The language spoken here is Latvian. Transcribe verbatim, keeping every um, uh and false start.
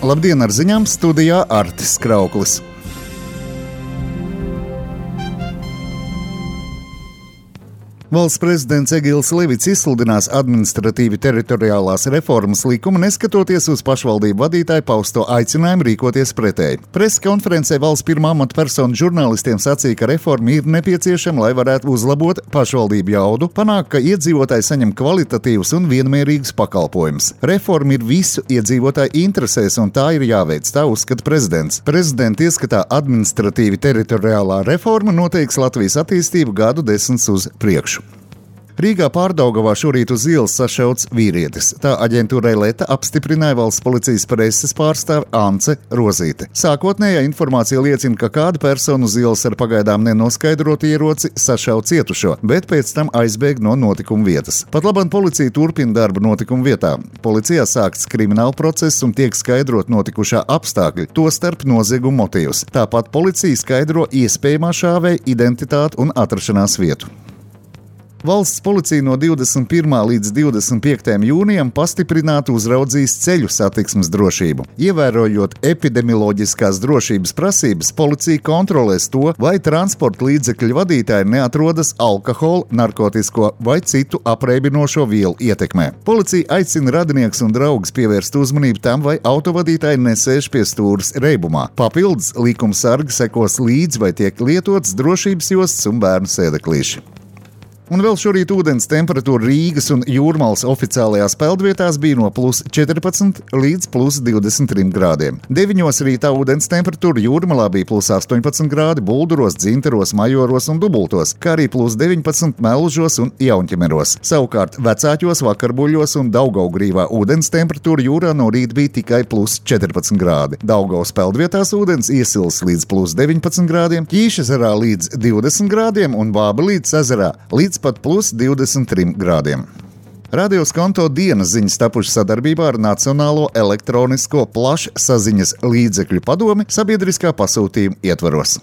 Labdien, ar ziņām studijā Artis Krauklis. Valsts prezidents Egils Levits izsludinās administratīvi teritoriālās reformas likumu, neskatoties uz pašvaldību vadītāju pausto aicinājumu rīkoties pretēji. Preses konferencē valsts pirmā amatpersona žurnālistiem sacīja, ka reforma ir nepieciešama, lai varētu uzlabot pašvaldību jaudu, panākt, ka iedzīvotāji saņem kvalitatīvus un vienmērīgus pakalpojumus. Reforma ir visu iedzīvotāju interesēs, un tā ir jāveic, tā uzskata prezidents. Prezidenta ieskatā administratīvi teritoriālā reforma noteiks Latvijas attīstību gadu desmitus uz priekšu. Rīgā Pārdaugavā šorīt uz ielas sašauts vīrietis. Tā aģentūrai Leta apstiprināja valsts policijas preses pārstāve Ance Rozīte. Sākotnējā informācija liecina, ka kāda persona uz ielas ar pagaidām nenoskaidrotu ieroci sašauja cietušo, bet pēc tam aizbēga no notikuma vietas. Pat labam policija turpina darbu notikuma vietā. Policijā sākts krimināla process un tiek skaidrot notikušā apstākļi, tostarp nozieguma motīvus. Tāpat policija skaidro iespējamā šāvēja identitāti un atrašanās vietu. Valsts policija no divdesmit pirmā līdz divdesmit piektajam jūnijam pastiprināti uzraudzīs ceļu satiksmes drošību. Ievērojot epidemioloģiskās drošības prasības, policija kontrolēs to, vai transporta līdzekļu vadītāji neatrodas alkohola, narkotisko vai citu apreibinošo vielu ietekmē. Policija aicina radinieks un draugus pievērst uzmanību tam, vai autovadītāji nesēž pie stūres reibumā. Papildus likuma sargi sekos līdzi, vai tiek lietots drošības jostas un bērnu sēdeklīši. Un vēl šorīt ūdens temperatūra Rīgas un Jūrmalas oficiālajās peldvietās bija no plus četrpadsmit līdz plus divdesmit trim grādiem. deviņos rītā ūdens temperatūra Jūrmalā bija plus astoņpadsmit grādi, Bulduros, Dzintaros, Majoros un Dubultos, kā arī plus deviņpadsmit Melžos un Jaunķemeros. Savukārt Vecāķos, Vakarbuļos un Daugavgrīvā ūdens temperatūra jūrā no rīta bija tikai plus četrpadsmit grādi. Daugavas peldvietās ūdens iesils līdz plus deviņpadsmit grādiem, Ķīšezerā līdz divdesmit grādiem un Bābelītes ezerā līdz pat plus divdesmit trim grādiem. Radio Skonto dienas ziņas tapušas sadarbībā ar Nacionālo elektronisko plašsaziņas līdzekļu padomi sabiedriskā pasūtījuma ietvaros.